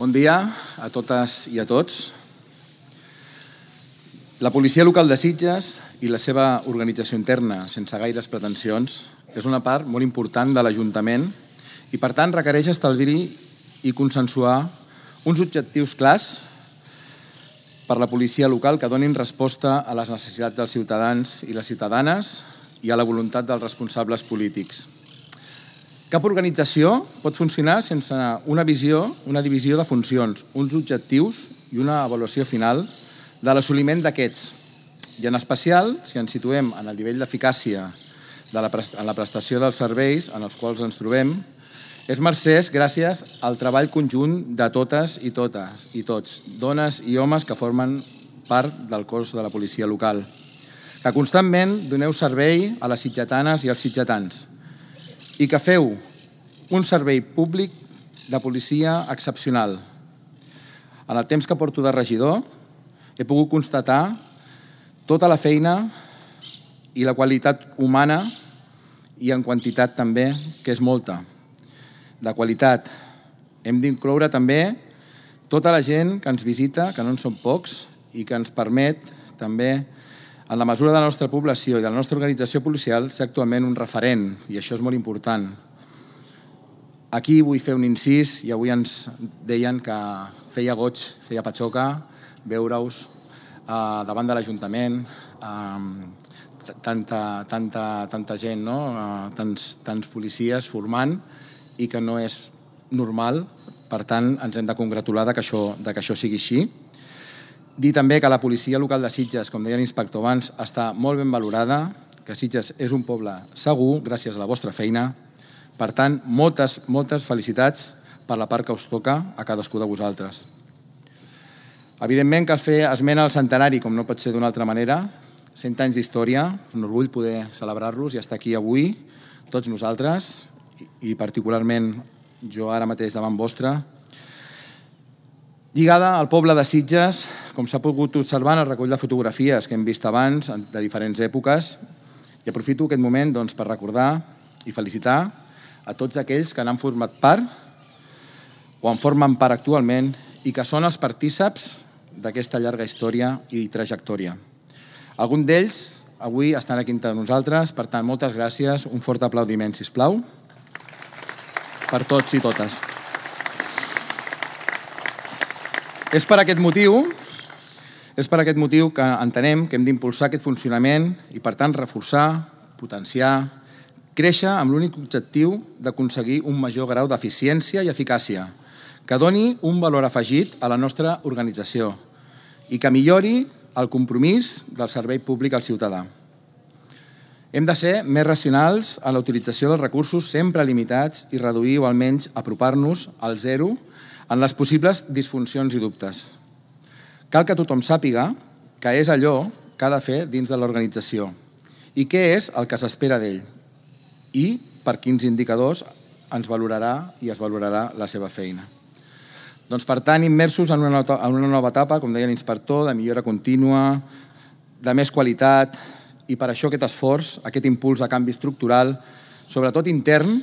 Bon dia a totes i a tots. La policia local de Sitges i la seva organització interna, sense gaires pretensions, és una part molt important de l'Ajuntament i, per tant, requereix establir i consensuar uns objectius clars per a la policia local que donin resposta a les necessitats dels ciutadans i les ciutadanes i a la voluntat dels responsables polítics. Cap organització pot funcionar sense una visió, una divisió de funcions, uns objectius i una avaluació final de l'assoliment d'aquests. I en especial, si ens situem en el nivell d'eficàcia en la prestació dels serveis en els quals ens trobem, és mercès gràcies al treball conjunt de totes i tots, dones i homes que formen part del cos de la policia local, que constantment doneu servei a les sitgetanes i als sitgetans i que feu un servei públic de policia excepcional. En el temps que porto de regidor he pogut constatar tota la feina i la qualitat humana i en quantitat també, que és molta, de qualitat. Hem d'incloure també tota la gent que ens visita, que no en són pocs, i que ens permet també, en la mesura de la nostra població i de la nostra organització policial, ser actualment un referent, i això és molt important. Aquí vull fer un incís, i avui ens deien que feia goig, feia patxoca, veure-us davant de l'Ajuntament, tanta gent, tants policies formant, i que no és normal, per tant ens hem de congratular que això sigui així. Dir també que la policia local de Sitges, com deia l'inspector abans, està molt ben valorada, que Sitges és un poble segur gràcies a la vostra feina. Per tant, moltes felicitats per la part que us toca a cadascú de vosaltres. Evidentment cal fer esment al centenari, com no pot ser d'una altra manera. 100 anys d'història, és un orgull poder celebrar-los i estar aquí avui, tots nosaltres, i particularment jo ara mateix davant vostre. Lligada al poble de Sitges, com s'ha pogut observar en el recull de fotografies que hem vist abans de diferents èpoques, i aprofito aquest moment per recordar i felicitar a tots aquells que n'han format part o en formen part actualment i que són els partíceps d'aquesta llarga història i trajectòria. Alguns d'ells avui estan aquí entre nosaltres, per tant, moltes gràcies, un fort aplaudiment, sisplau, per tots i totes. És per aquest motiu que entenem que hem d'impulsar aquest funcionament i, per tant, reforçar, potenciar, créixer amb l'únic objectiu d'aconseguir un major grau d'eficiència i eficàcia, que doni un valor afegit a la nostra organització i que millori el compromís del servei públic al ciutadà. Hem de ser més racionals en la utilització dels recursos sempre limitats i reduir o almenys apropar-nos al zero en les possibles disfuncions i dubtes. Cal que tothom sàpiga què és allò que ha de fer dins de l'organització i què és el que s'espera d'ell i per quins indicadors ens valorarà i es valorarà la seva feina. Per tant, immersos en una nova etapa, com deia l'inspector, de millora contínua, de més qualitat, i per això aquest esforç, aquest impuls de canvi estructural, sobretot intern,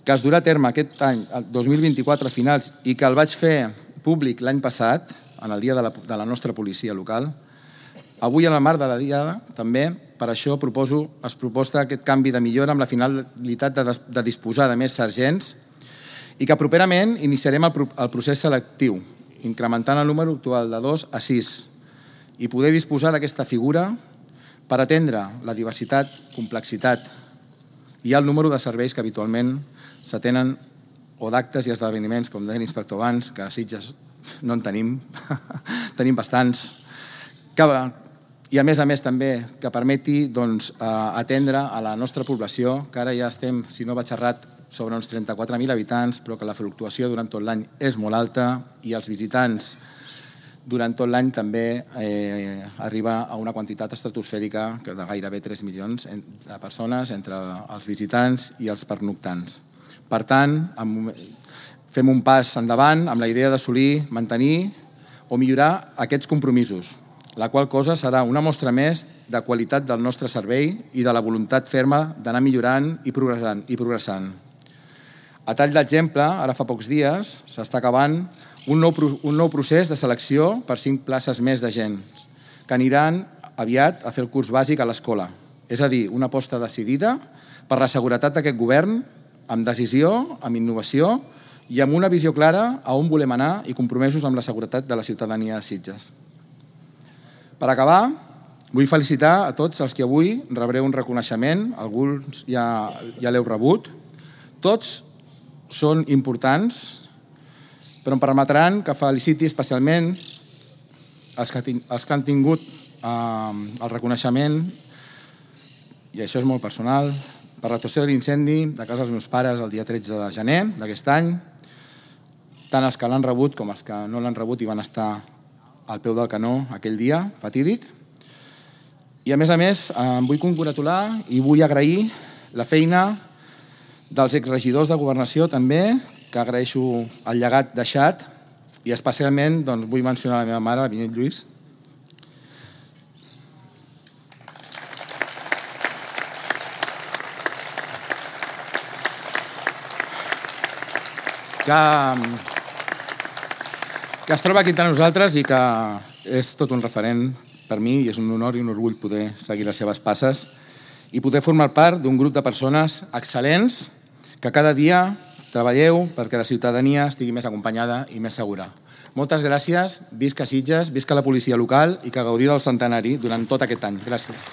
que es durà a terme aquest any, el 2024 a finals, i que el vaig fer públic l'any passat, en el dia de la nostra policia local. Avui, en el marc de la Diada, també, per això es proposa aquest canvi de millora amb la finalitat de disposar de més sergents i que properament iniciarem el procés selectiu, incrementant el número actual de 2 a 6 i poder disposar d'aquesta figura per atendre la diversitat, complexitat i el número de serveis que habitualment s'atenen o d'actes i esdeveniments, com deia l'inspector abans, que a Sitges no en tenim, tenim bastants, i a més també que permeti atendre a la nostra població, que ara ja estem, si no vaig errat, sobre uns 34.000 habitants, però que la fluctuació durant tot l'any és molt alta i els visitants durant tot l'any també arriba a una quantitat estratosfèrica de gairebé 3 milions de persones entre els visitants i els pernoctants. Per tant, fem un pas endavant amb la idea d'assolir, mantenir o millorar aquests compromisos, la qual cosa serà una mostra més de qualitat del nostre servei i de la voluntat ferma d'anar millorant i progressant. A tall d'exemple, ara fa pocs dies s'està acabant un nou procés de selecció per 5 places més d'agents que aniran aviat a fer el curs bàsic a l'escola. És a dir, una aposta decidida per la seguretat d'aquest govern, amb decisió, amb innovació i amb una visió clara a on volem anar i compromesos amb la seguretat de la ciutadania de Sitges. Per acabar, vull felicitar a tots els que avui rebreu un reconeixement, alguns ja l'heu rebut. Tots són importants, però em permetran que feliciti especialment els que han tingut el reconeixement, i això és molt personal, per l'actuació de l'incendi de casa dels meus pares el dia 13 de gener d'aquest any, tant els que l'han rebut com els que no l'han rebut i van estar al peu del canó aquell dia fatídic. I a més, em vull congratular i vull agrair la feina dels exregidors de Governació també, que agraeixo el llegat deixat, i especialment vull mencionar la meva mare, la Vinyet Lluís, que es troba aquí entre nosaltres i que és tot un referent per mi i és un honor i un orgull poder seguir les seves passes i poder formar part d'un grup de persones excel·lents que cada dia treballeu perquè la ciutadania estigui més acompanyada i més segura. Moltes gràcies, visca Sitges, visca la policia local i que gaudir del centenari durant tot aquest any. Gràcies.